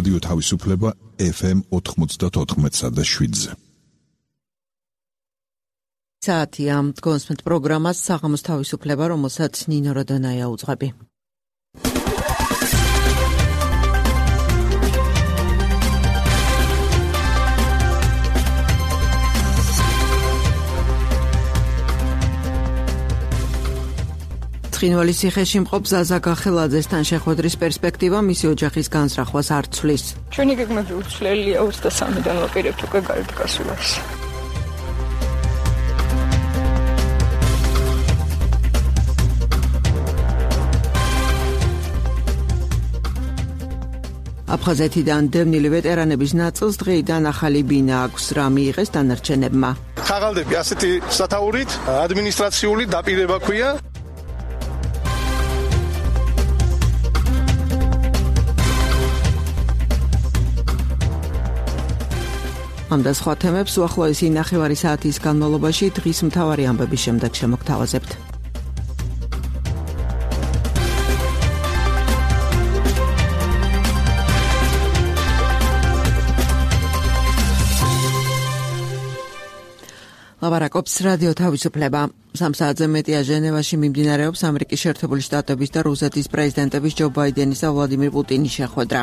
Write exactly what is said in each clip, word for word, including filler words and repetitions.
რადიო თავისუფლება ეფ ემ ოთხმოცდაოთხ და შვიდზე. საათია გონსმენთ პროგრამას საღამოს თავისუფლება, რომელსაც ნინო როდონაია უძღვები. ცხინვალის ციხეში მყოფ ზაზა გახელაძესთან შეხვედრის პერსპექტივა მისი ოჯახის განსრახვას არ ცვლის. ჩვენი გეგმები უცვლელია, ოცდასამიდან ვაპირებთ უკვე გარეთ გასვლას. აფხაზეთიდან დევნილი ვეტერანების ნაწილს დღეიდან ახალი ბინა აქვს, რა მიიღეს დანარჩენებმა. ხაღალდები ასეთი სათაურით ადმინისტრაციული დაპირება ქვია. ამ და სხვა თემებს უახლოესი ნახევარი საათის განმავლობაში დღის მთავარი ამბების შემდეგ შემოგთავაზებთ. ლაპარაკობს რადიო თავისუფლება. სამ საათზე მეტია ჟენევაში მიმდინარეობს ამერიკის შეერთებული შტატების და რუსეთის პრეზიდენტების ჯო ბაიდენის და ვლადიმირ პუტინის შეხვედრა.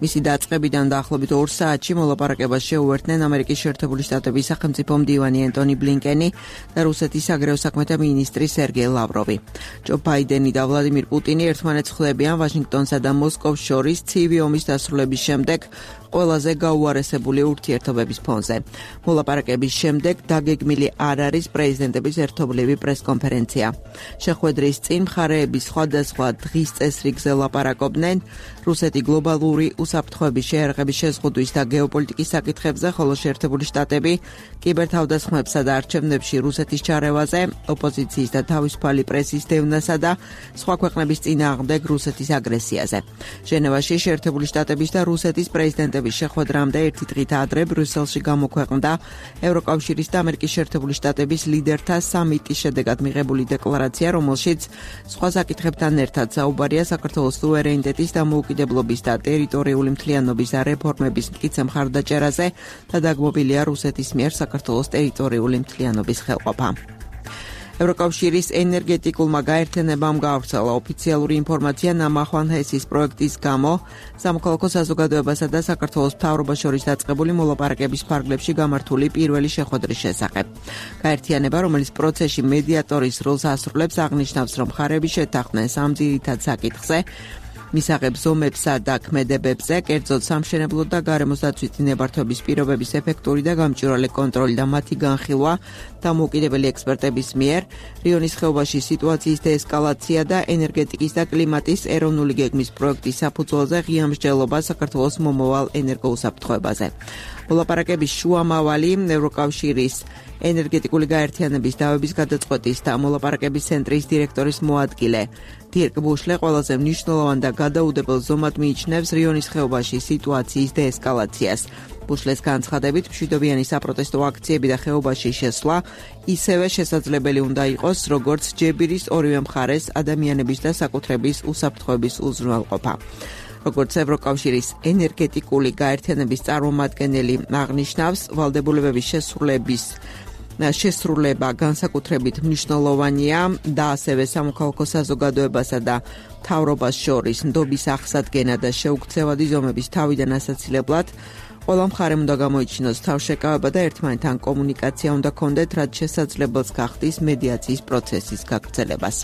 მისი დაწყებიდან დაახლოებით ორ საათში მოლაპარაკებას შეუერთდნენ ამერიკის შეერთებული შტატების სახელმწიფო მდივანი ენტონი ბლინკენი და რუსეთის საგარეო საქმეთა მინისტრი სერგეი ლავროვი. ჯო ბაიდენი და ვლადიმირ პუტინი ერთმანეთს ხლებიან ვაშინგტონსა და მოსკოვს შორის ცივი ომის დასრულების შემდეგ ყველაზე გაუარესებული ურთიერთობების ფონზე. მოლაპარაკების შემდეგ დაგეგმილი არ არის პრეზიდენტების ერთობლივი პრესკონფერენცია. შეხვედრის წინ მხარეები სხვადასხვა დღის წესრიგზე ლაპარაკობდნენ რუსეთი გლობალური უსაფრთხოების შეერაღების შეზღუდვის და გეოპოლიტიკის საკითხებზე, ხოლო შეერთებული შტატები კიბერთავდასხმებსა და არჩევნებში რუსეთის ჩარევაზე, ოპოზიციის და თავისუფალი პრესის დევნასა და სხვა ქვეყნების წინააღმდეგ რუსეთის აგრესიაზე. ჟენევაში შეერთებული შტატების და რუსეთის პრეზიდენტების შეხვედრამდე ერთი დღით ადრე ბრიუსელში გამოქვეყნდა ევროკავშირის და ამერიკის შეერთებული შტატების ლიდერთა სამიტის შედეგად მიღებული დეკლარაცია, რომელშიც სხვა საკითხებთან ერთად საუბარია საქართველოს სუვერენიტეტის დამოუკიდებლობის და ტერიტორიული მთლიანობის რეფორმების მტკიცე მხარდაჭერაზე და დაგმობილია რუსეთის მიერ საქართველოს ტერიტორიული მთლიანობის ხელყოფა. ევროკავშირის ენერგეტიკულმა გაერთიანებამ გაავრცელა ოფიციალური ინფორმაცია ნამახვან ჰესის პროექტის გამო სამოქალაქო საზოგადოებასა და საქართველოს მთავრობას შორის დაწყებული მოლაპარაკების ფარგლებში გამართული პირველი შეხვედრის შესახებ. გაერთიანება, რომელიც პროცესში მედიატორის როლს ასრულებს, აღნიშნავს, რომ მხარეები შეთანხმდნენ სამ ძირითად საკითხზე, მისაღებ ზომებსა და ქმედებებზე, კერძოდ სამშენებლო და გარემოს დაცვის ნებართვების პირობების ეფექტური და გამჭვირვალე კონტროლი და მათი განხილვა დამოუკიდებელი ექსპერტების მიერ, რიონის ხეობაში სიტუაციის დეესკალაცია და ენერგეტიკის და კლიმატის ეროვნული გეგმის პროექტის საფუძველზე ღია მსჯელობა საქართველოს მომავალ ენერგოუსაფრთხოებაზე. მოლაპარაკების შუამავალი ევროკავშირის ენერგეტიკული გაერთიანების დავების გადაწყვეტის და მოლაპარაკების ცენტრის დირექტორის მოადგილე დირკ ბუშლე ყველაზე მნიშვნელოვან და გადაუდებელ ზომად მიიჩნევს რიონის ხეობაში სიტუაციის დეესკალაციას. ბუშლეს განცხადებით, მშვიდობიანი საპროტესტო აქციები და ხეობაში შესვლა ისევე შესაძლებელი უნდა იყოს, როგორც ჯებირის ორივე მხარეს ადამიანების და საკუთრების უსაფრთხოების უზრუნველყოფა. როგორც ევროკავშირის ენერგეტიკული გაერთიანების წარმომადგენელი აღნიშნავს, ვალდებულებების შესრულების შესრულება განსაკუთრებით მნიშვნელოვანია და ასევე სამოქალაქო საზოგადოებასა და მთავრობას შორის ნდობის აღსადგენა და შეუქცევადი ზომების თავიდან ასაცილებლად ყველა მხარემ უნდა გამოიჩინოს თავშეკავება და ერთმანეთთან კომუნიკაცია უნდა ჰქონდეთ, რაც შესაძლებელს გახდის მედიაციის პროცესის გაგრძელებას.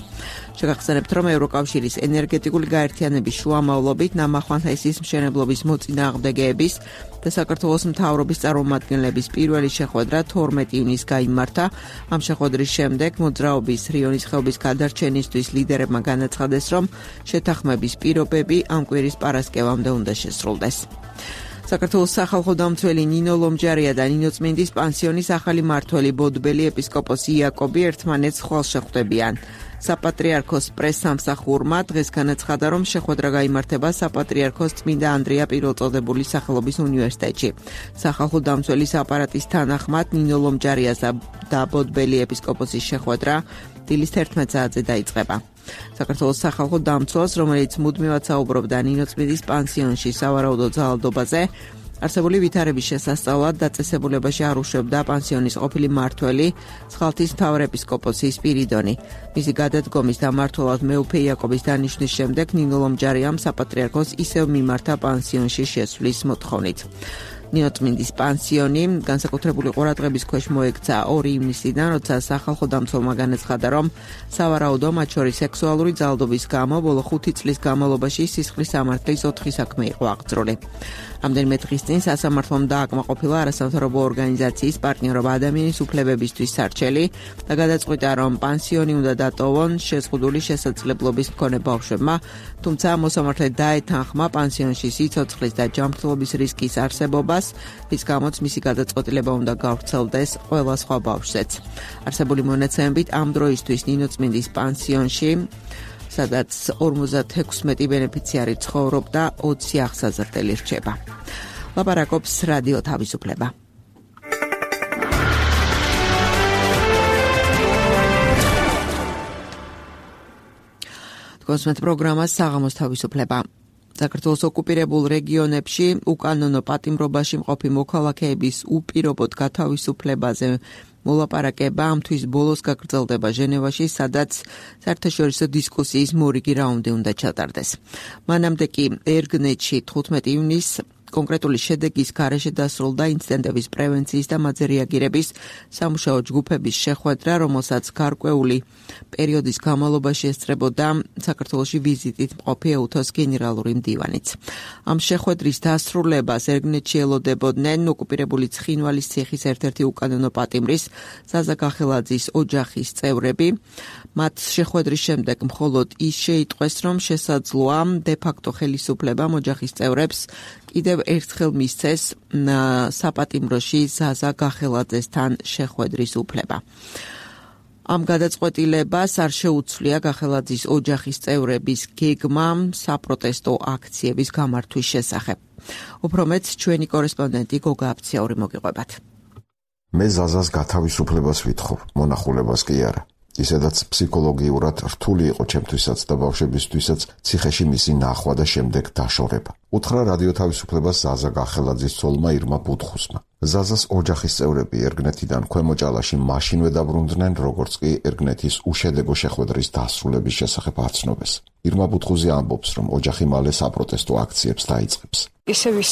შეგახსენებთ, რომ ევროკავშირის ენერგეტიკული გაერთიანების შუამავლობით ნამახვან ჰესის მშენებლობის მოწინააღმდეგეების და საქართველოს მთავრობის წარმომადგენლების პირველი შეხვედრა თორმეტი ივნისს გაიმართა. ამ შეხვედრის შემდეგ მოძრაობის რიონის ხეობის გადარჩენისთვის ლიდერებმა განაცხადეს, რომ შეთანხმების პირობები ამ კვირის პარასკევამდე უნდა შესრულდეს. საქართველოს სახალხო დამცველი ნინო ლომჯარია და ნინო წმინდის პანსიონის ახალი მმართველი ბოდბელი ეპისკოპოსი იაკობი ერთმანეთს ხვალ შეხვდებიან. საპატრიარქოს პრესსამსახურმა დღეს განაცხადა, რომ შეხვედრა გაიმართება საპატრიარქოს წმინდა ანდრია პირველწოდებულის სახელობის უნივერსიტეტში. სახალხო დამცველის აპარატის თანახმად ნინო ლომჯარიას და ბოდბელი ეპისკოპოსის შეხვედრა დილის თერთმეტ საათზე დაიწყება. საქართველოს სახალხო დამცველს, რომელიც მუდმივად საუბრობდა ნინო წმინდის პანსიონში სავარაუდო ძალადობაზე, არსებული ვითარების შესასწავლად დაწესებულებაში არ უშვებდა პანსიონის ყოფილი მმართველი სხალთის მთავარეპისკოპოსი სპირიდონი. მისი გადადგომის დამმართველად მეუფე იაკობის დანიშვნის შემდეგ ნინო ლომჯარიამ საპატრიარქოს ისევ მიმართა პანსიონში შესვლის მოთხოვნით. ნინო წმინდის პანსიონი განსაკუთრებული ყურადღების ქვეშ მოექცა ორი ივნისიდან, როცა სახალხო დამცველმა განაცხადა, რომ სავარაუდო მათ შორის სექსუალური ძალადობის გამო ბოლო ხუთი წლის განმავლობაში სისხლის სამართლის ოთხი საქმე იყო აღძრული. რამდენიმე დღის წინ სასამართლომ დააკმაყოფილა არასამთავრობო ორგანიზაციის პარტნიორობა ადამიანის უფლებებისთვის სარჩელი და გადაწყვიტა, რომ პანსიონი უნდა დატოვონ შეზღუდული შესაძლებლობის მქონე ბავშვებმა, თუმცა მოსამართლე დაეთანხმა პანსიონში სიცოცხლის და ჯანმრთელობის რისკის არსებობას, რის გამოც მისი გადაწყვეტილება უნდა გავრცელდეს ყველა სხვა ბავშვზეც. არსებული მონაცემებით ამ დროისთვის ნინო წმინდის პანსიონში, სადაც ორმოცდაექვსმეტი ბენეფიციარი ცხოვრობდა, ოცი აღსაზრდელი რჩება. ლაპარაკობს რადიო თავისუფლება. კონსმეთ პროგრამას საღამოს თავისუფლება. საქართველოს ოკუპირებულ რეგიონებში უკანონო პატიმრობაში მყოფი მოქალაქეების უპირობოდ გათავისუფლებაზე მოლაპარაკება ამ თვის ბოლოს გაგრძელდება ჟენევაში, სადაც საერთაშორისო დისკუსიის მორიგი რაუნდი უნდა ჩატარდეს. მანამდე კი ერგნეტში თხუთმეტი ივნისს კონკრეტული შედეგის გარეშე დასრულდა ინციდენტების პრევენციის და მათზე რეაგირების სამუშაო ჯგუფების შეხვედრა, რომელსაც გარკვეული პერიოდის განმავლობაში ესწრებოდა საქართველოში ვიზიტით მყოფი ეუთოს გენერალური მდივანიც. ამ შეხვედრის დასრულებას ერგნეტში ელოდებოდნენ ოკუპირებული ცხინვალის ციხის ერთ-ერთი უკანონო პატიმრის ზაზა გახელაძის ოჯახის წევრები. მათ შეხვედრის შემდეგ მხოლოდ ის შეიტყვეს, რომ შესაძლოა დე-ფაქტო ხელისუფლებამ ოჯახის წევრებს კიდევ ერთხელ მისცეს საპატიმროში ზაზა გახელაძესთან შეხვედრის უფლება. ამ გადაწყვეტილებას არ შეუცვლია გახელაძის ოჯახის წევრების გეგმა საპროტესტო აქციების გამართვის შესახებ. უფრო მეტს ჩვენი კორესპონდენტი გოგა აფციური მოგიყვებათ. მე ზაზას გათავისუფლებას ვითხოვ, მონახულებას კი არა. ისედაც ფსიქოლოგიურად რთული იყო ჩემთვისაც და ბავშვებისთვისაც ციხეში მისი ნახვა და შემდეგ დაშორება. უთხრა რადიო თავისუფლებას ზაზა გახელაძის ცოლმა ირმა ბუთხუსმა. ზაზას ოჯახის წევრები ერგნეთიდან ქვემო ჭალაში მაშინვე დაბრუნდნენ, როგორც კი ერგნეთის უშედეგო შეხვედრის დასრულების შესახებ აცნობეს. ირმა ბუთხუზი ამბობს, რომ ოჯახი მალე საპროტესტო აქციებს დაიწყებს. ისევის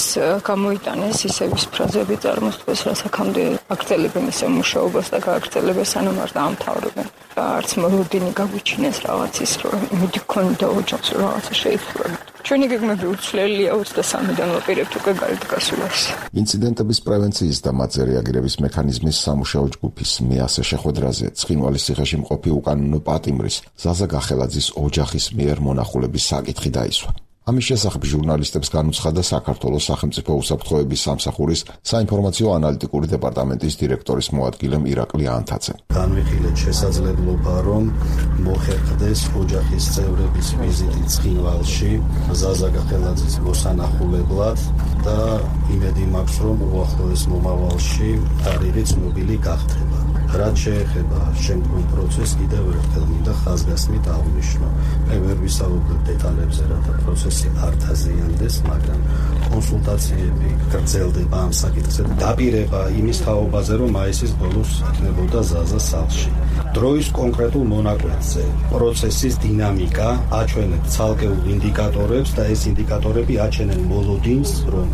გამოიტანეს, ისევის ფრაზები წარმოსწეს, რაც აქამდე აგრძელებენ ისე მუშაობას და გააგრძელებენ სანამ არ დაამთავრებენ. არც მოლოდინი გაგვიჩინეს რაღაცის, რომ იმედი გქონდა ოჯახს, რომ რაღაცა შეიცვალა. ჩვენი გეგმები უცვლელია ოცდასამიდან ვაპირებთ უკვე გარეთ გასვლას. ინციდენტების პრევენციის და მათზე რეაგირების მექანიზმის სამუშაო ჯგუფის მეასე შეხვედრაზე ცხინვალის ციხეში მყოფი უკანონო პატიმრის ზაზა გახელაძის ოჯახის მიერ მონახულების საკითხი დაისვა. ამის შესახებ ჟურნალისტებს განუცხადა საქართველოს სახელმწიფო უსაფრთხოების სამსახურის საინფორმაციო ანალიტიკური დეპარტამენტის დირექტორის მოადგილე ირაკლი ანთაძე. განვიხილეთ შესაძლებლობა, რომ მოხერხდეს ოჯახის წევრების ვიზიტი ცხინვალში ზაზა გახელაძის მოსანახულებლად და იმედი მაქვს, რომ უახლოეს მომავალში თარიღი ცნობილი გახდება. რაც შეეხება შემდგომ პროცესს, კიდევ ერთხელ მინდა ხაზგასმით აღვნიშნო. მე ვერ ვისაუბრებ დეტალებზე, რათა პროცესი არ დაზიანდეს, მაგრამ კონსულტაციები გრძელდება ამ საკითხზე. დაპირება იმის თაობაზე, რომ მაისის ბოლოს იქნებოდა ზაზა სახლში. დროის კონკრეტულ მონაკვეთზე პროცესის დინამიკა აჩვენებს ცალკეულ ინდიკატორებს და ეს ინდიკატორები აჩენენ მოლოდინს, რომ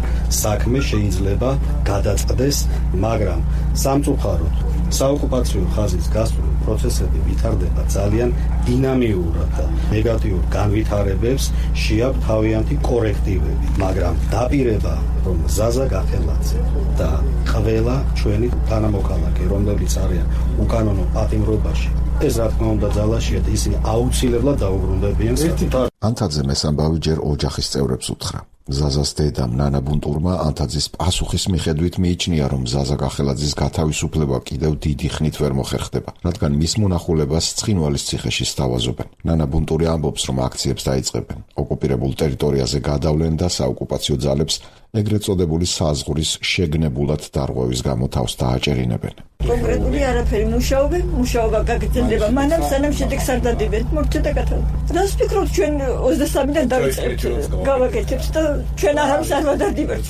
საქმე შეიძლება გადაწყდეს, მაგრამ სამწუხაროდ საოკუპაციო ხაზის გასწვრივ პროცესები ვითარდება ძალიან დინამიურად და ნეგატიურ განვითარებებს შეაქვს თავიანთი კორექტივები, მაგრამ დაპირება, რომ ზაზა გახელაძე და ყველა ჩვენი თანამოქალაქე, რომლებიც არიან უკანონო პატიმრობაში, ეს რა თქმა უნდა ძალაშია და ისინი აუცილებლად დაუბრუნდებიან საკუთარ. ანთაძე მესამბავი ჯერ ოჯახის წევრებს უთხრა. ზაზას დედამ ნანა ბუნტურმა ანთაძის პასუხის მიხედვით მიიჩნია, რომ ზაზა გახელაძის გათავისუფლება კიდევ დიდი ხნით ვერ მოხერხდება, რადგან მის მონახულებას ცხინვალის ციხეში სთავაზობენ. ნანა ბუნტური ამბობს, რომ აქციებს დაიწყებენ, ოკუპირებულ ტერიტორიაზე გადავლენ და საოკუპაციო ძალებს ეგრეთ წოდებული საზღვრის შეგნებულად დარღვევის გამო თავს დააჭერინებენ. კონკრეტული არაფერი მუშაობე, მუშაობა გაგრძელდება, მანამ სანამ შედეგს არ დადებენ, მორჩა გათავ. რას ფიქრობთ, ჩვენ ოცდასამიდან დავიწყებთ, გავაკეთებთ და ჩვენ არავის არ ვადარდიბართ,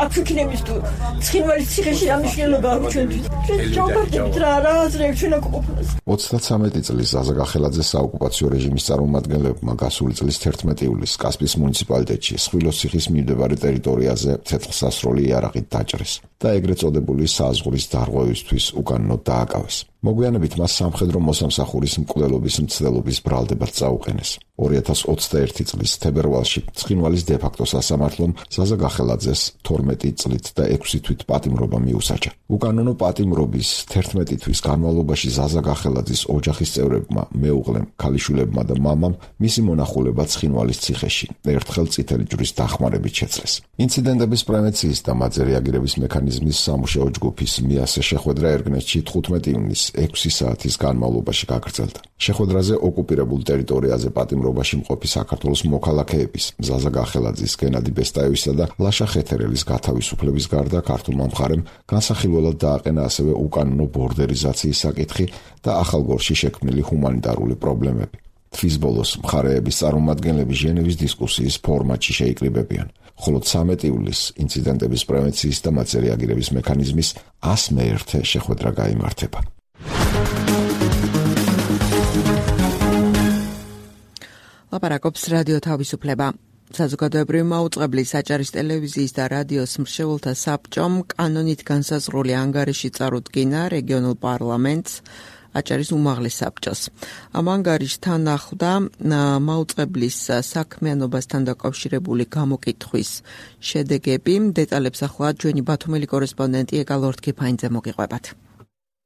აქ ვიქნებით თუ ცხინვალის ციხეში რა მნიშვნელობა აქვს ჩვენთვის. ჩვენ ჩავდარდებით რა, რა აზრებს ჩვენ აქ ყოფნას. ოცდათვრამეტი წლის ზაზა გახელაძეს საოკუპაციო რეჟიმის წარმომადგენლებმა გასული წლის თერთმეტი ივლისს კასპიის მუნიციპალიტეტში სხვილოს ციხის მიმდებარე ტერიტორიაზე ცეცხლსასროლი იარაღით დაჭრეს და ეგრეთ წოდებული საზღვრის დარღვევისთვის უკანონოდ დააკავეს. მოგვიანებით მას სამხედრო მოსამსახურის მკვლელობის მცდელობის ბრალდებად წაუყენეს. ორი ათას ოცდაერთი წლის თებერვალში ცხინვალის დე-ფაქტო სასამართლომ ზაზა გახელაძეს თორმეტი წლით და ექვსი თვით პატიმრობა მიუსაჯა. უკანონო პატიმრობის თერთმეტი თვის განმავლობაში ზაზა გახელაძის ოჯახის წევრებმა, მეუღლემ, ქალიშვილებმა და მამამ მისი მონახულება ცხინვალის ციხეში ერთხელ წითელი ჯვრის დახმარებით შეძლეს. ინციდენტების პრევენციის და მათზე რეაგირების მექანიზმის სამუშაო ჯგუფის მიასე შეხვედრა ერგნესტში თხუთმეტი ივნისს ექვსი საათის განმავლობაში გაგრძელდა. შეხვედრაზე ოკუპირებულ ტერიტორიაზე პატიმრობაში მყოფი საქართველოს მოქალაქეების ზაზა გახელაძის, გენადი ბესტაევისა და ლაშა ხეთერელის გათავისუფლების გარდა ქართულმა მხარემ განსახილველად დააყენა ასევე უკანონო ბორდერიზაციის საკითხი და ახალგორში შექმნილი ჰუმანიტარული პრობლემები. თვის ბოლოს მხარეების წარმომადგენლები ჟენევის დისკუსიის ფორმატში შეიკრიბებიან. ხოლო ცამეტი ივლისს ინციდენტების პრევენციის და მათზე რეაგირების მექანიზმის ას მეერთე შეხვედრა გაიმართება. ლაპარაკობს რადიო თავისუფლება. საზოგადოებრივი მაუწყებლის აჭარის ტელევიზიის და რადიოს მრჩეველთა საბჭომ კანონით განსაზღვრული ანგარიში წარუდგინა რეგიონულ პარლამენტს აჭარის უმაღლეს საბჭოს. ამ ანგარიშთან ახლდა მაუწყებლის საქმიანობასთან დაკავშირებული გამოკითხვის შედეგები. დეტალებს ახლა ჩვენი ბათუმელი კორესპონდენტი ეკა ლორდ-კიფაინძე მოგიყვებათ.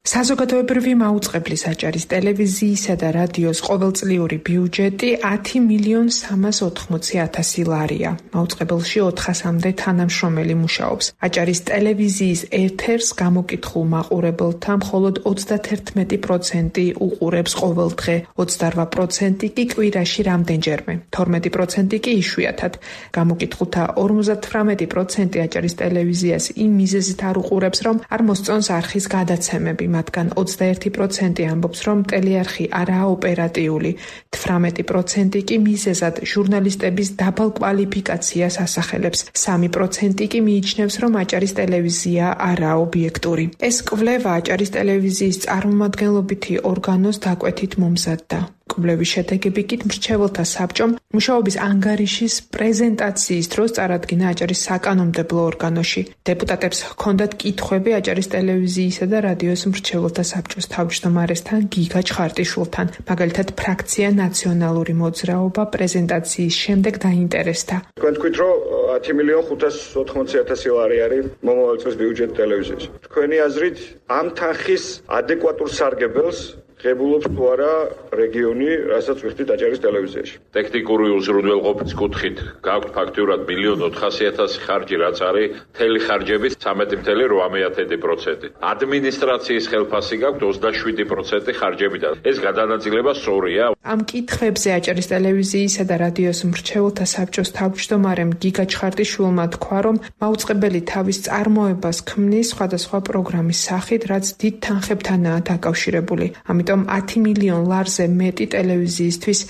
საზოგადოებრივი მაუწყებლის აჭარის ტელევიზიისა და რადიოს ყოველწლიური ბიუჯეტი ათი მილიონ სამას ოთხმოცი ათასი ლარია. მაუწყებელში ოთხასამდე თანამშრომელი მუშაობს. აჭარის ტელევიზიის ეთერს გამოკითხულ მაყურებელთა მხოლოდ ოცდათერთმეტი პროცენტი უყურებს ყოველდღე, ოცდარვა პროცენტი კი კვირაში რამდენჯერმე, თორმეტი პროცენტი კი იშვიათად. გამოკითხულთა ორმოცდათვრამეტი პროცენტი აჭარის ტელევიზიას იმ მიზეზით არ უყურებს, რომ არ მოსწონს არხის გადაცემები. მათგან ოცდაერთი პროცენტი ამბობს, რომ ტელეარხი არაა ოპერატიული, თვრამეტი პროცენტი კი მიზეზად ჟურნალისტების დაბალ კვალიფიკაციას ასახელებს, სამი პროცენტი კი მიიჩნევს, რომ აჭარის ტელევიზია არაა ობიექტური. ეს კვლევა აჭარის ტელევიზიის წარმომადგენლობითი ორგანოს დაკვეთით მომზადდა. კვლევის შედეგები კი მრჩეველთა საბჭომ მუშაობის ანგარიშის პრეზენტაციის დროს წარადგინა აჭარის საკანონმდებლო ორგანოში. დეპუტატებს ჰქონდათ კითხვები აჭარის ტელევიზიისა და რადიოს მრჩეველთა საბჭოს თავმჯდომარესთან გიგა ჩხარტიშვილთან. მაგალითად, ფრაქცია ნაციონალური მოძრაობა პრეზენტაციის შემდეგ დაინტერესდა. თქვენ თქვით, რომ ათი მილიონ ხუთას ოთხმოცი ათასი ლარი არის მომავალ წლის ბიუჯეტი ტელევიზიაში. თქვენი აზრით, ამ თანხის ადეკვატურ სარგებელს ღებულობს თუ არა რეგიონი, რასაც ვიხდით აჭარის ტელევიზიაში. ტექნიკური უზრუნველყოფის კუთხით გაქვთ ფაქტიურად მილიონ ოთხასი ათასი ხარჯი, რაც არის მთელი ხარჯების ცამეტი წელი რვამეათედი პროცენტი. ადმინისტრაციის ხელფასი გაქვთ ოცდაშვიდი პროცენტი ხარჯებიდან. ეს გადანაწილება სწორია. ამ კითხვებზე აჭარის ტელევიზიისა და რადიოს მრჩეველთა საბჭოს თავმჯდომარემ გიგა ჩხარტიშვილმა თქვა, რომ მაუწყებელი თავის წარმოებას ქმნის სხვადასხვა პროგრამის სახით, რაც დიდ თანხებთანაა დაკავშირებული. ამიტომ ათი მილიონ ლარზე მეტი ტელევიზიისთვის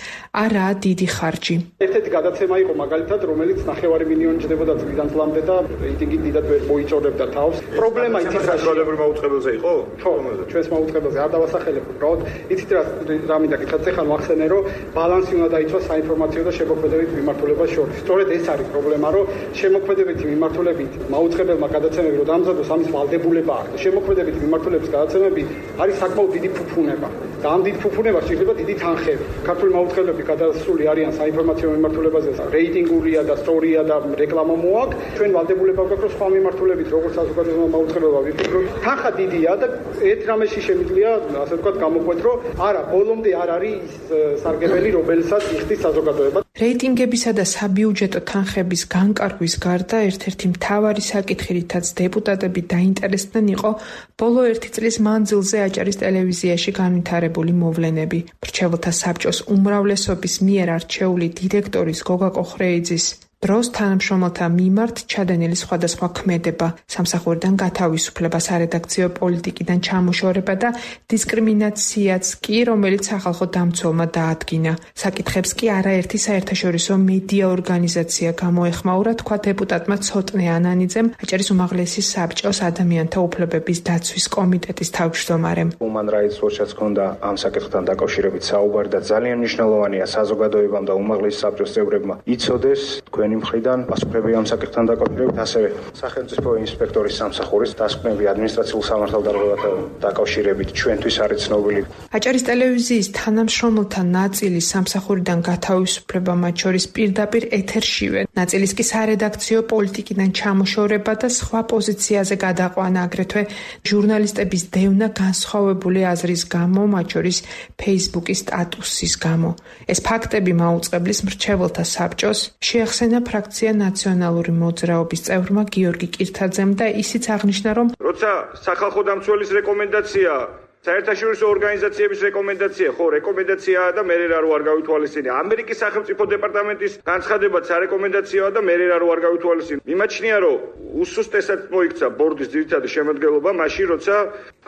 არაა დიდი ხარჯი. ერთ-ერთი გადაცემა იყო მაგალითად, რომელიც ნახევარი მილიონი ჯდებოდა წლიდან წლამდე და რეიტინგი დიდად ვერ მოიწონებდა თავს. პრობლემა იცით რა საზოგადოებრივ მაუწყებელზე იყო? ხო, ჩვენს მაუწყებელზე არ დავასახელებ უბრალოდ. იცით რა რა მინდა გითხრათ, ეხლა მოახსენე, რომ ბალანსი უნდა დაიცვას საინფორმაციო და შემოქმედებითი მიმართულებას შორის. სწორედ ეს არის პრობლემა, რომ შემოქმედებითი მიმართულებით მაუწყებელმა გადაცემები რომ დამზადოს, ამის ვალდებულება აქვს. შემოქმედებითი მიმართულების გადაცემები არის საკმაოდ დიდი ფუფუნება. და ამ დიდ ფუფუნებას შეიძლება დიდი თანხები. ქართული მაუწყებლები გადასული არიან საინფორმაციო მიმართულებაზე, რეიტინგურია და სწორია და რეკლამა მოაქვს. ჩვენ ვალდებულება გვაქვს, რომ სხვა მიმართულებით, როგორც საზოგადოებრივ მაუწყებელმა ვიფიქროთ, თანხა დიდია და ერთ რამეში შემიძლია, ასე ვთქვათ, გამოყვეთ, რომ არა, ბოლომდე არ არის ის სარგებელი, რომელსაც იხდის საზოგადოება. რეიტინგებისა და საბიუჯეტო თანხების განკარგვის გარდა ერთ-ერთი მთავარი საკითხი, რითაც დეპუტატები დაინტერესდნენ, იყო ბოლო ერთი წლის მანძილზე აჭარის ტელევიზიაში განვითარებული მოვლენები. მრჩეველთა საბჭოს უმრავლესობის მიერ არჩეული დირექტორის გოგა კოხრეიძის დროს თანამშრომელთა მიმართ ჩადენილი სხვადასხვა ქმედება, სამსახურიდან გათავისუფლება, სარედაქციო პოლიტიკიდან ჩამოშორება და დისკრიმინაციაც კი, რომელიც სახალხო დამცველმა დაადგინა. საკითხებს კი არაერთი საერთაშორისო მედია ორგანიზაცია გამოეხმაურა, თქვა დეპუტატმა ცოტნე ანანიძემ, აჭარის უმაღლესი საბჭოს ადამიანთა უფლებების დაცვის კომიტეტის თავმჯდომარემ. Human Rights Watch-ს ჰქონდა ამ საკითხთან დაკავშირებით საუბარი და ძალიან მნიშვნელოვანია საზოგადოებამ და უმაღლესი საბჭოს წევრებმა იცოდეს თქვენ მხრიდან პასუხები ამ საკითხთან დაკავშირებით, ასევე სახელმწიფო ინსპექტორის სამსახურის დასკვნები ადმინისტრაციულ სამართალდარღვევასთან დაკავშირებით ჩვენთვის არის ცნობილი. აჭარის ტელევიზიის თანამშრომელთა ნაწილი სამსახურიდან გათავისუფლება, მათ შორის პირდაპირ ეთერშივე, ნაწილის კი სარედაქციო პოლიტიკიდან ჩამოშორება და სხვა პოზიციაზე გადაყვანა, აგრეთვე ჟურნალისტების დევნა განსხვავებული აზრის გამო, მათ შორის Facebook-ის სტატუსის გამო. ეს ფაქტები მაუწყებლის მრჩეველთა საბჭოს შეახსენა ფრაქცია ნაციონალური მოძრაობის წევრმა გიორგი კირთაძემ და ისიც აღნიშნა, რომ როცა სახალხო დამცველის რეკომენდაცია, საერთაშორისო ორგანიზაციების რეკომენდაცია, ხო, რეკომენდაციაა და მე რა არ გავითვალისწინე. ამერიკის სახელმწიფო დეპარტამენტის განცხადებაც არეკომენდაციაა და მე რა არ გავითვალისწინე. მიმაჩნია, რომ უსუსტესად მოიქცა ბორდის ძირითადი შემადგენლობა მაშინ, როცა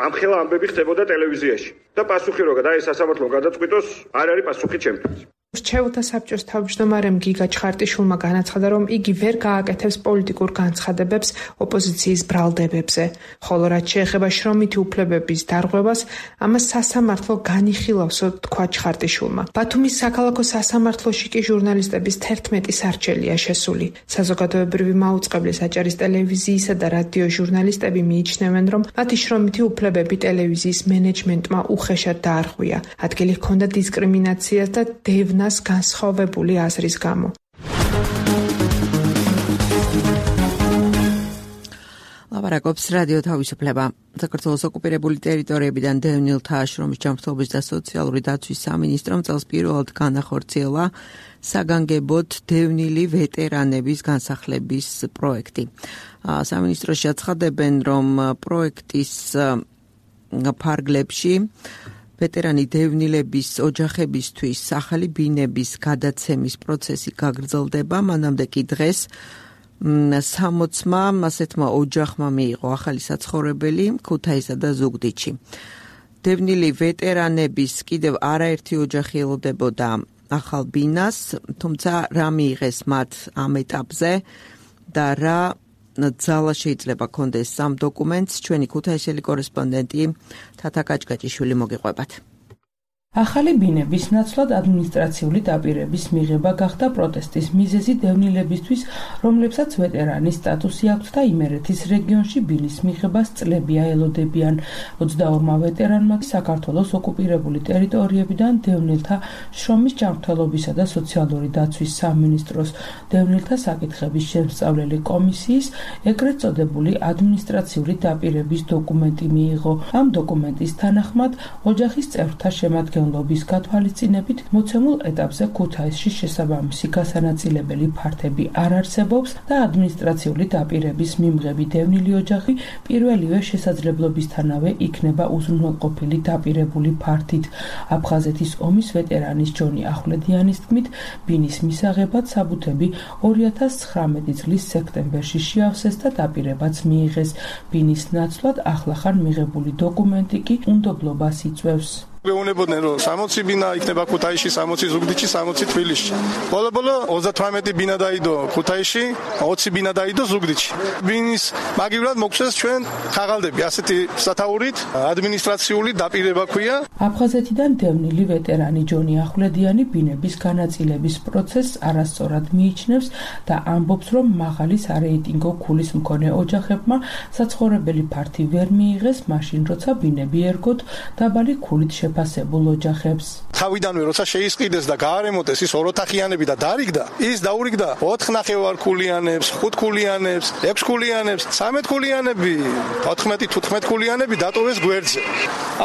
ამხელა ამბები ხდებოდა ტელევიზიაში. და პასუხი როგორ და ეს სასამართლომ გადაწყვიტოს, არ არის პასუხი ჩემთვის. მრჩეველთა საბჭოს თავმჯდომარემ გიგა ჩხარტიშვილმა განაცხადა, რომ იგი ვერ გააკეთებს პოლიტიკურ განცხადებებს ოპოზიციის ბრალდებებზე, ხოლო რაც შეეხება შრომითი უფლებების დარღვევას, ამას სასამართლო განიხილავსო, თქვა ჩხარტიშვილმა. ბათუმის საქალაქო სასამართლოში კი ჟურნალისტების თერთმეტი სარჩელია შესული. საზოგადოებრივი მაუწყებლის აჭარის ტელევიზიისა და რადიო ჟურნალისტები მიიჩნევენ, რომ მათი შრომითი უფლებები ტელევიზიის მენეჯმენტმა უხეშად დაარღვია. ადგილი ჰქონდა დისკრიმინაციას და დევნა განსხვავებული აზრის გამო. ლაპარაკობს რადიო თავისუფლება. საქართველოს ოკუპირებული ტერიტორიებიდან დევნილთა აშრომის ჯანმრთელობის და სოციალური დაცვის სამინისტრომ წელს პირველად განახორციელა საგანგებოდ დევნილი ვეტერანების განსახლების პროექტი. სამინისტროში აცხადებენ, რომ პროექტის ფარგლებში ვეტერანი დევნილების ოჯახებისთვის ახალი ბინების გადაცემის პროცესი გაგრძელდება, მანამდე კი დღეს სამოცმა ასეთმა ოჯახმა მიიღო ახალი საცხოვრებელი ქუთაისსა და ზუგდიდში. დევნილი ვეტერანების კიდევ არაერთი ოჯახი ელოდებოდა ახალ ბინას, თუმცა რა მიიღეს მათ ამ ეტაპზე და რა ძალა შეიძლება კონდეს ამ დოკუმენტს, ჩვენი ქუთაისელი კორესპონდენტი თათა კაჭკაჭიშვილი მოგიყვებათ. ახალი ბინების ნაცვლად ადმინისტრაციული დაპირების მიღება გახდა პროტესტის მიზეზი დევნილებისთვის, რომლებსაც ვეტერანის სტატუსი აქვთ და იმერეთის რეგიონში ბინის მიღებას წლებია ელოდებიან. ოცდაორმა ვეტერანმა საქართველოს ოკუპირებული ტერიტორიებიდან დევნილთა შრომის ჯანმრთელობისა და სოციალური დაცვის სამინისტროს დევნილთა საკითხების შემსწავლელი კომისიის ეგრეთ წოდებული ადმინისტრაციული დაპირების დოკუმენტი მიიღო. ამ დოკუმენტის თანახმად ოჯახის წევრთა შემადგენლობა ლობის გათვალისწინებით მოცემულ ეტაპზე ქუთაისში შესაბამისი გასანაწილებელი ფართები არ არსებობს და ადმინისტრაციული დაპირების მიმღები დევნილი ოჯახი პირველივე შესაძლებლობისთანავე იქნება უზრუნველყოფილი დაპირებული ფართით. აფხაზეთის ომის ვეტერანის ჯონი ახვლედიანის თქმით, ბინის მისაღებად საბუთები ორი ათას ცხრამეტი წლის სექტემბერში შეავსეს და დაპირებაც მიიღეს. ბინის ნაცვლად ახლახან მიღებული დოკუმენტი კი უნდობლობას იწვევს. მეუნებოდნენ, რომ სამოცი ბინა იქნება ქუთაისში, სამოცი ზუგდიდში, სამოცი თბილისში. ბოლო-ბოლო ოცდათვრამეტი ბინა დაიდო ქუთაისში, ოცი ბინა დაიდო ზუგდიდში. ბინის მაგივრად მოგვცეს ჩვენ ხაღალდები, ასეთი სათაურით ადმინისტრაციული დაპირება ქვია. აფხაზეთიდან დევნილი ვეტერანი ჯონი ახვლედიანი ბინების განაწილების პროცესს არასწორად მიიჩნევს და ამბობს, რომ მაღალი სარეიტინგო ქულის მქონე ოჯახებმა საცხოვრებელი ფართი ვერ მიიღეს, მაშინ როცა ბინები ერგოთ დაბალი ქულით შეფასებულ ოჯახებს. თავიდანვე როცა შეისყიდეს და გაარემონტეს ის ოროთახიანები და დარიგდა, ის დაურიგდა ოთხ ნახევარქულიანებს, ხუთქულიანებს, ექვსქულიანებს, სამეთქულიანები, ოთხმეტი თუთხმეტქულიანები დატოვეს გვერდზე.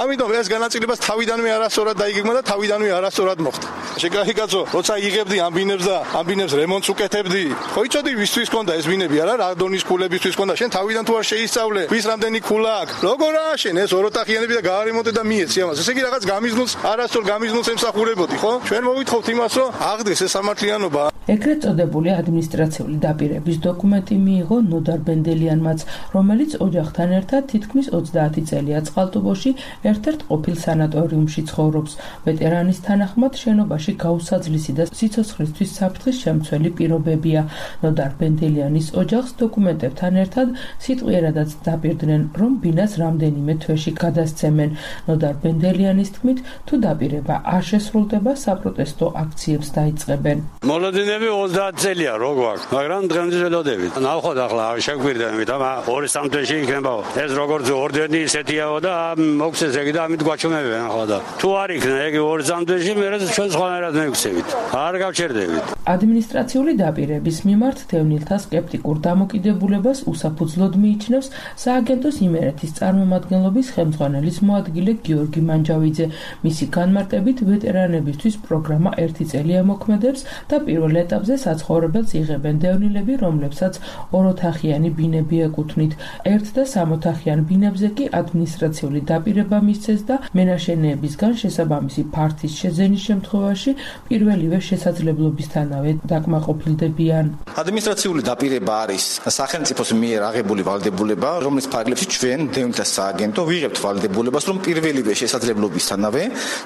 ამიტომ ეს განაწილებას თავიდანვე არასწორად დაიგეგმა და თავიდანვე არასწორად მოხდა. შეგაიგაცო, როცა იღებდი ამ ბინებს და ამ ბინებს რემონტს უკეთებდი, ხო იცოდი ვისთვის ქონდა ეს ბინები არა, რა დონის ქულებისთვის ქონდა, შენ თავიდან თუ არ შეისწავლე, ვის რამდენი ქულა აქვს, როგორ ააშენ ეს ოროთახიანები და გაარემონტე და მიეცი ამას. ესე იგი რაღაც გამიზნულს, არასწორ გამიზნულს ემსახურებოდი, ხო? ჩვენ მოვითხავთ იმას, რომ აღდგეს ეს სამართლიანობა. ეგრეთ წოდებული ადმინისტრაციული დაპირების დოკუმენტი მიიღო ნოდარ ბენდელიანმაც, რომელიც ოჯახთან ერთად თითქმის ოცდაათი წელია წყალტუბოში ერთ-ერთ ყოფილ სანატორიუმში ცხოვრობს. ვეტერანის თანახმად შენობაში გაუსაძლისი და სიცოცხლისთვის საფრთხის შემცველი პირობებია. ნოდარ ბენდელიანის ოჯახს დოკუმენტებთან ერთად სიტყვიერადაც დაპირდნენ, რომ ბინას რამდენიმე თვეში გადასცემენ. ნოდარ ბენდელიანის თქმით, თუ დაპირება არ შესრულდება, საპროტესტო აქციებს დაიწყებენ. მოლოდინები ოცდაათი წელია რო გვაქვს, მაგრამ დღემდე ველოდებით. ნახოთ ახლა შეგვირდებით, ამა ორი სამ თვეში იქნება. ეს როგორც ორდენი ისეთიაო და მოგცეს ეგ და ამით გვაჩვენებენ ახლა და თუ არ იქნა ეგ ორი სამ თვეში მე ჩვენ სხვანაირად მივიქცევით. არ გავჩერდებით. ადმინისტრაციული დაპირების მიმართ დევნილთა სკეპტიკურ დამოკიდებულებას უსაფუძვლოდ მიიჩნევს სააგენტოს იმერეთის წარმომადგენლობის ხელმძღვანელის მოადგილე გიორგი მანჯავიძე. მისი განმარტებით ვეტერანებისთვის პროგრამა ერთი წელი ემოქმედებს და პირველ ეტაპზე საცხოვრებელს იღებენ დევნილები, რომლებსაც ოროთახიანი ბინები ეკუთვნით. ერთ და სამოთახიან ბინებზე კი ადმინისტრაციული დაპირება მისცეს და მენაშენეებისგან შესაბამისი ფართის შეძენის შემთხვევაში პირველივე შესაძლებლობისთანავე დაკმაყოფილდებიან. ადმინისტრაციული დაპირება არის სახელმწიფოს მიერ აღებული ვალდებულება, რომლის ფარგლებში ჩვენ დევნილთა სააგენტო ვიღებთ ვალდებულებას, რომ პირველივე შესაძლებლობისთანავე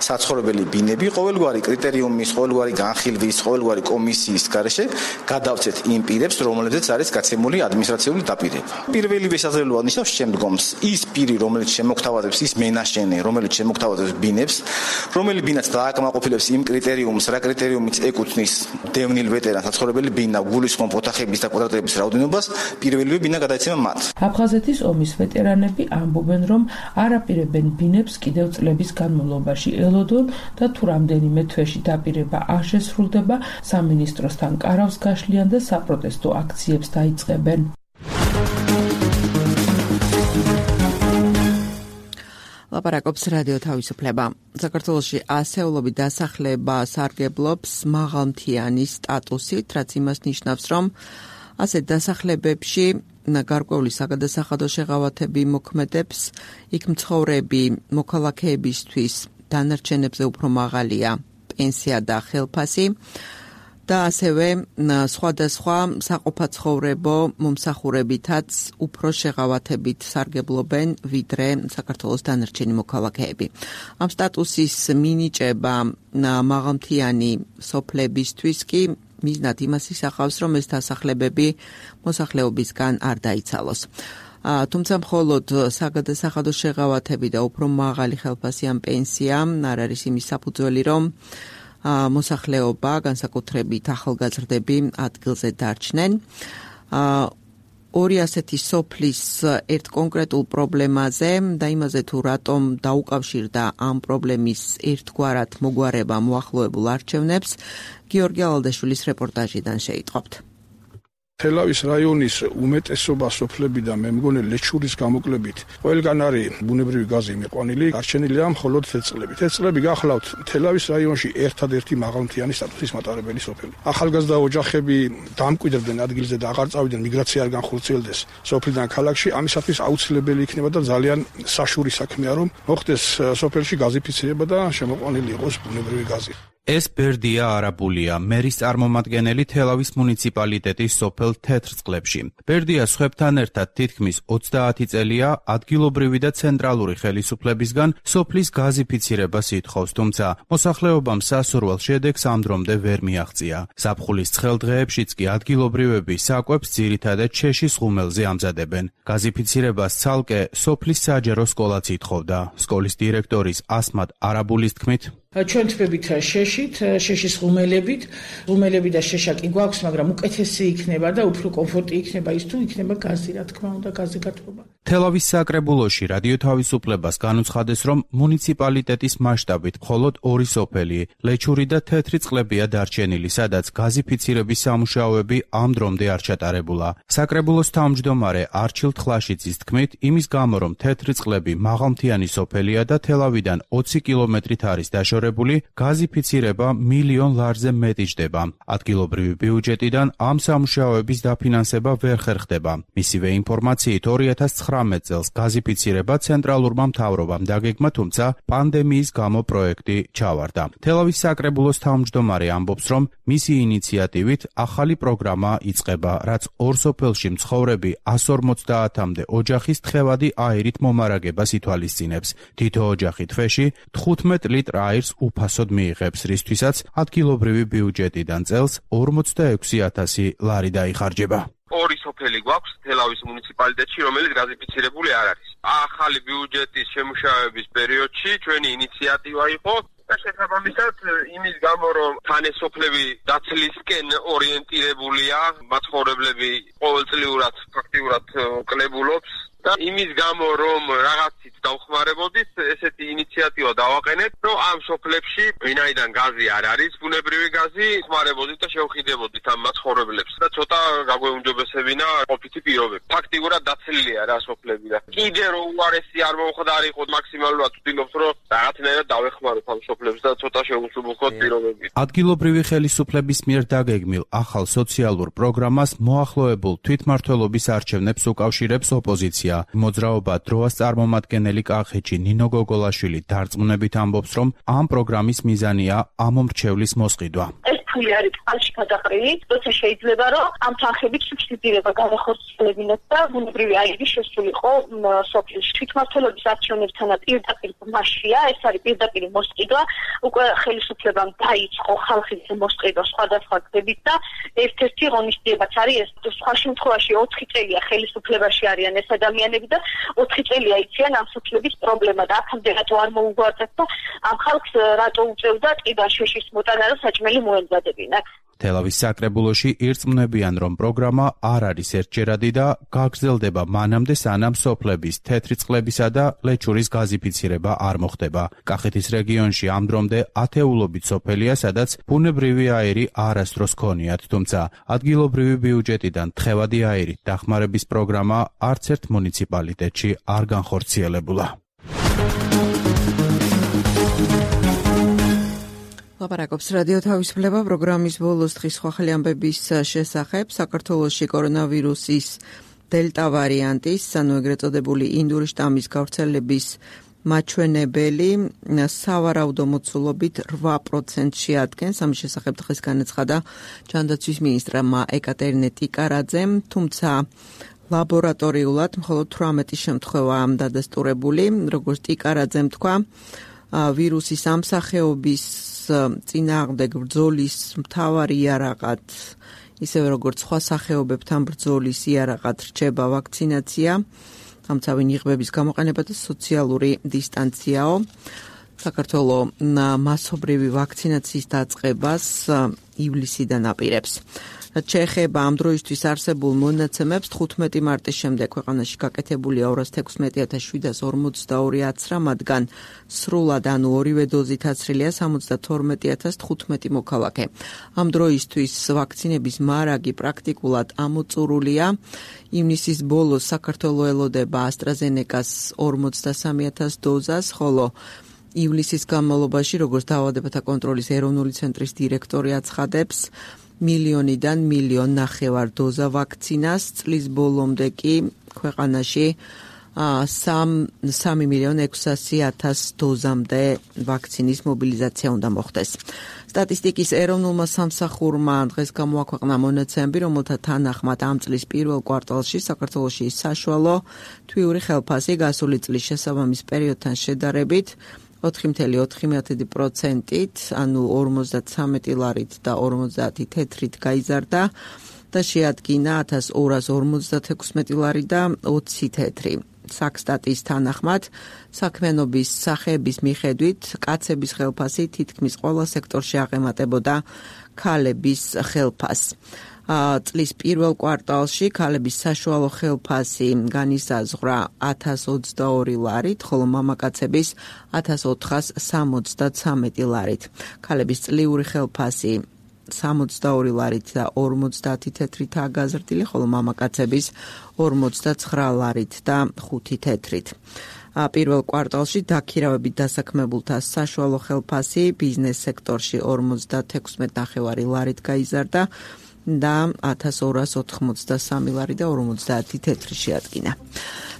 საცხოვრებელი ბინები ყოველგვარი კრიტერიუმის, ყოველგვარი განხილვის, ყოველგვარი კომისიის გარეშე გადავცეთ იმ პირებს, რომლებზეც არის გაცემული ადმინისტრაციული დაპირება. პირველივე შესაძლებლობა ნიშნავს შემდგომს. ის პირი, რომელიც შემოგთავაზებს, ის მენაშენე, რომელიც შემოგთავაზებს ბინებს, რომელი ბინაც დააკმაყოფილებს იმ კრიტერიუმს, რა კრიტერიუმიც ეკუთვნის დევნილ ვეტერანს საცხოვრებელი ბინა, გულისხმობ ოთახების და კვადრატების რაოდენობას, პირველივე ბინა გადაეცემა მათ. აფხაზეთის ომის ვეტერანები ამბობენ, რომ არ აპირებენ ბინებს კიდევ წლების განმავლობაში ელოდონ და თუ რამდენიმე თვეში დაპირება არ შესრულდება, სამინისტროსთან კარავს გაშლიან და საპროტესტო აქციებს დაიწყებენ. ლაპარაკობს რადიო თავისუფლება. საქართველოში ასეულობით დასახლება სარგებლობს მაღალმთიანი სტატუსით, რაც იმას ნიშნავს, რომ ასეთ დასახლებებში გარკვეული საგადასახადო შეღავათები მოქმედებს, იქ მცხოვრები მოქალაქეებისთვის დანარჩენებზე უფრო მაღალია პენსია და ხელფასი. და ასევე სხვადასხვა საყოფაცხოვრებო მომსახურებითაც უფრო შეღავათებით სარგებლობენ ვიდრე საქართველოს დანარჩენი მოქალაქეები. ამ სტატუსის მინიჭება მაღალმთიანი სოფლებისთვის კი მიზნად იმას ისახავს, რომ ეს დასახლებები მოსახლეობისგან არ დაიცალოს. თუმცა მხოლოდ საგადასახადო შეღავათები და უფრო მაღალი ხელფასი ან პენსია არ არის იმის საფუძველი, რომ მოსახლეობა, განსაკუთრებით ახალგაზრდები ადგილზე დარჩნენ. ორი ასეთი სოფლის ერთ კონკრეტულ პრობლემაზე და იმაზე თუ რატომ დაუკავშირდა ამ პრობლემის ერთგვარად მოგვარება მოახლოებულ არჩევნებს, გიორგი ალალდაშვილის რეპორტაჟიდან შეიტყობთ. თელავის რაიონის უმეტესობა სოფლებიდან მე მგონი ლეჩურის გამოკლებით ყველგან არის ბუნებრივი გაზი მიყვანილი, არჩენილია მხოლოდ თეწლები. თეწლები გახლავთ თელავის რაიონში ერთადერთი მაღალმთიანი სტატუსის მატარებელი სოფელი. ახალგაზრდა ოჯახები დამკვიდრდნენ ადგილზე და აღარ წავიდნენ, მიგრაცია არ განხორციელდეს სოფლიდან ქალაქში. ამისათვის აუცილებელი იქნება და ძალიან საშური საქმეა, რომ მოხდეს სოფელში გაზიფიცირება და შემოყვანილი იყოს ბუნებრივი გაზი. ეს ბერდია არაბულია, მერის წარმომადგენელი თელავის მუნიციპალიტეტის სოფელ თეთრწყლებში. ბერდია სხვებთან ერთად თითქმის ოცდაათი წელია ადგილობრივი და ცენტრალური ხელისუფლებისგან სოფლის გაზიფიცირებას ითხოვს, თუმცა მოსახლეობამ სასურველ შედეგს ამ დრომდე ვერ მიაღწია. ზაფხულის ცხელ დღეებშიც კი ადგილობრივები საკვებს ძირითადად შეშის ღუმელზე ამზადებენ. გაზიფიცირებას ცალკე სოფლის საჯარო სკოლაც ითხოვდა. სკოლის დირექტორის ასმად არაბულის თქმით, ჩვენ თვებით შეშით, შეშის ღუმელებით, ღუმელები და შეშა კი გვაქვს, მაგრამ უკეთესი იქნება და უფრო კომფორტი იქნება ის თუ იქნება გაზი, რა თქმა უნდა, გაზი გათბობა. თელავის საკრებულოში რადიო თავისუფლებას განუცხადეს, რომ მუნიციპალიტეტის მასშტაბით მხოლოდ ორი სოფელი, ლეჩური და თეთრი წყლებია დარჩენილი, სადაც გაზიფიცირების სამუშაოები ამ დრომდე არ ჩატარებულა. საკრებულოს თავმჯდომარე არჩილ თხლაშიძის თქმით, იმის გამო, რომ თეთრი წყლები მაღალმთიანი სოფელია და თელავიდან ოცი კილომეტრით არის დაშორებული, გაზიფიცირება მილიონ ლარზე მეტი ჯდება. ადგილობრივი ბიუჯეტიდან ამ სამუშაოების დაფინანსება ვერ ხერხდება. მისივე ინფორმაციით ორი ათას ცხრამეტ წელს გაზიფიცირება ცენტრალურმა მთავრობამ დაგეგმა, თუმცა პანდემიის გამო პროექტი ჩავარდა. თელავის საკრებულოს თავმჯდომარე ამბობს, რომ მისი ინიციატივით ახალი პროგრამა იწყება, რაც ორ სოფელში მცხოვრები ას ორმოცდაათამდე ოჯახის თხევადი აირით მომარაგებას ითვალისწინებს. თითო ოჯახი თვეში თხუთმეტ ლიტრ აირს უფასოდ მიიღებს, რისთვისაც ადგილობრივი ბიუჯეტიდან წელს ორმოცდაექვსი ათასი ლარი დაიხარჯება. ორი სოფელი გვაქვს თელავის მუნიციპალიტეტში, რომელიც გაზიფიცირებული არ არის. ახალი ბიუჯეტის შემუშავების პერიოდში ჩვენი ინიციატივა იყო და შესაბამისად იმის გამო, რომ თანესოფლები დაცლისკენ ორიენტირებულია, მაცხოვრებლები ყოველწლიურად ფაქტიურად კლებულობს და იმის გამო, რომ რაღაცით დავხმარებოდით, ესეთი ინიციატივა დავაყენეთ, რომ ამ სოფლებში ვინაიდან გაზი არ არის, ბუნებრივი გაზი, ხმარებოდით და შევხიდებოდით ამ მაცხოვრებლებს და ცოტა გაგვეუმჯობესებინა ყოფითი პირობები. ფაქტიურად დაცლილია რა სოფლები და კიდე რო უარესი არ მოხდარიყო, მაქსიმალურად ვთქვით, რომ რაღაცნაირად დავეხმაროთ ამ სოფლებს და ცოტა შევუსუბუქოთ პირობები. ადგილობრივი ხელისუფლების მიერ დაგეგმილ ახალ სოციალურ პროგრამას მოახლოებულ თვითმმართველობის არჩევნებს უკავშირებს ოპოზიცია. მოძრაობა დროას წარმომადგენელი კახეთში ნინო გოგოლაშვილი დარწმუნებით ამბობს, რომ ამ პროგრამის მიზანია ამომრჩევლის მოსყიდვა. ეს ფული არის წყალში გადაყრილი, როცა შეიძლება რომ ამ თანხებით სუბსიდირება განახორციელებინათ და ბუნებრივი აირი შესულიყო სოფელში. თვითმმართველობის არჩევნებთანაც პირდაპირ მასშია, ეს არის პირდაპირ მოსყიდვა, უკვე ხელისუფლებამ დაიწყო ხალხის მოსყიდვა სხვადასხვა გზებით და ერთ-ერთი ღონისძიებაც არის ეს. სხვა შემთხვევაში ოთხი წელია ხელისუფლებაში არიან ეს ადამიანები და ოთხი წელია იციან ამ სოფლების პრობლემა და აქამდე რატო არ მოუგვარდათ და ამ ხალხს რატო უწევდა ტყიდან შეშის მოტანა და საჭმელი მოემზადებინათ. თელავის საკრებულოში ირწმუნებიან, რომ პროგრამა არ არის ერთჯერადი და გაგრძელდება მანამდე, სანამ სოფლების თეთრი წყლებისა და ლეჩურის გაზიფიცირება არ მოხდება. კახეთის რეგიონში ამ დრომდე ათეულობით სოფელია, სადაც ბუნებრივი აირი არასდროს ქონიათ, თუმცა ადგილობრივი ბიუჯეტიდან თხევადი აირით დახმარების პროგრამა არც ერთ მუნიციპალიტეტში არ განხორციელებულა. ლაპარაკობს რადიო თავისუფლება პროგრამის ბოლოს დღის სხვა ხელი ამბების შესახებ. საქართველოში კორონავირუსის დელტა ვარიანტის, ანუ ეგრეთ წოდებული ინდური შტამის გავრცელების მაჩვენებელი სავარაუდო მოცულობით რვა პროცენტში ადგენს. ამის შესახებ დღეს განაცხადა ჯანდაცვის მინისტრმა ეკატერინე ტიკარაძემ, თუმცა ლაბორატორიულად მხოლოდ თვრამეტი შემთხვევაა დადასტურებული. როგორც ტიკარაძემ თქვა, ვირუსის ამ სახეობის წინააღმდეგ ბრძოლის მთავარი იარაღად, ისევე როგორც სხვა სახეობებთან ბრძოლის იარაღად რჩება ვაქცინაცია, თამცავი ნიღბების გამოყენება და სოციალური დისტანციაო. საქართველოს მასობრივი ვაქცინაციის დაწყებას ივლისიდან აპირებს. რაც შეეხება ამ დროისთვის არსებულ მონაცემებს, თხუთმეტი მარტის შემდეგ ქვეყანაში გაკეთებულია ორას თექვსმეტი ათას შვიდას ორმოცდაორი აცრა, მათგან სრულად, ანუ ორივე დოზით აცრილია სამოცდათორმეტი ათას თხუთმეტი მოქალაქე. ამ დროისთვის ვაქცინების მარაგი პრაქტიკულად ამოწურულია. ივნისის ბოლოს საქართველოს ელოდება AstraZeneca-ს ორმოცდასამი ათას დოზას, ხოლო ივლისის განმავლობაში, როგორც დაავადებათა კონტროლის ეროვნული ცენტრის დირექტორი აცხადებს, მილიონიდან მილიონ ნახევარ დოზა ვაქცინას, წლის ბოლომდე კი ქვეყანაში სამი მილიონ ექვსასი ათას დოზამდე ვაქცინის მობილიზაცია უნდა მოხდეს. სტატისტიკის ეროვნულმა სამსახურმა დღეს გამოაქვეყნა მონაცემები, რომელთა თანახმად ამ წლის პირველ კვარტალში საქართველოში საშუალო თვიური ხელფასი გასული წლის შესაბამის პერიოდთან შედარებით ოთხი კoma ოთხი პროცენტით, ანუ ორმოცდათრამეტი ლარით და ორმოცდაათი თეთრით გაიზარდა და შეადგინა ათას ორას ორმოცდათექვსმეტი ლარი და ოცი თეთრი. საქსტატის თანახმად, საქმიანობის სახეების მიხედვით, კაცების ხელფასი თითქმის ყველა სექტორში აღემატებოდა ქალების ხელფასს. წლის პირველ კვარტალში ქალების საშუალო ხელფასი განისაზღვრა ათას ოცდაორი ლარით, ხოლო მამაკაცების ათას ოთხასსამოცდათსამეტი ლარით. ქალების წლიური ხელფასი სამოცდაორი ლარით და ორმოცდაათი თეთრითაა გაზრდილი, ხოლო მამაკაცების ორმოცდაცხრა ლარით და ხუთი თეთრით. პირველ კვარტალში დაქირავებით დასაქმებულთა საშუალო ხელფასი ბიზნეს სექტორში ორმოცდათექვსმეტ ნახევარი ლარით გაიზარდა და ათას ორას ოთხმოცდასამი ლარი და ორმოცდაათი თეთრი შეადგინა.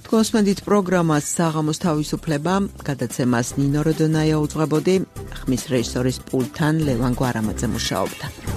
თქვენსმენდით პროგრამას საღამოს თავისუფლება, გადაცემას ნინო როდონაია უძღვებოდი, ხმის რეჟისორის პულტთან ლევან გვარამაძე მუშაობდა.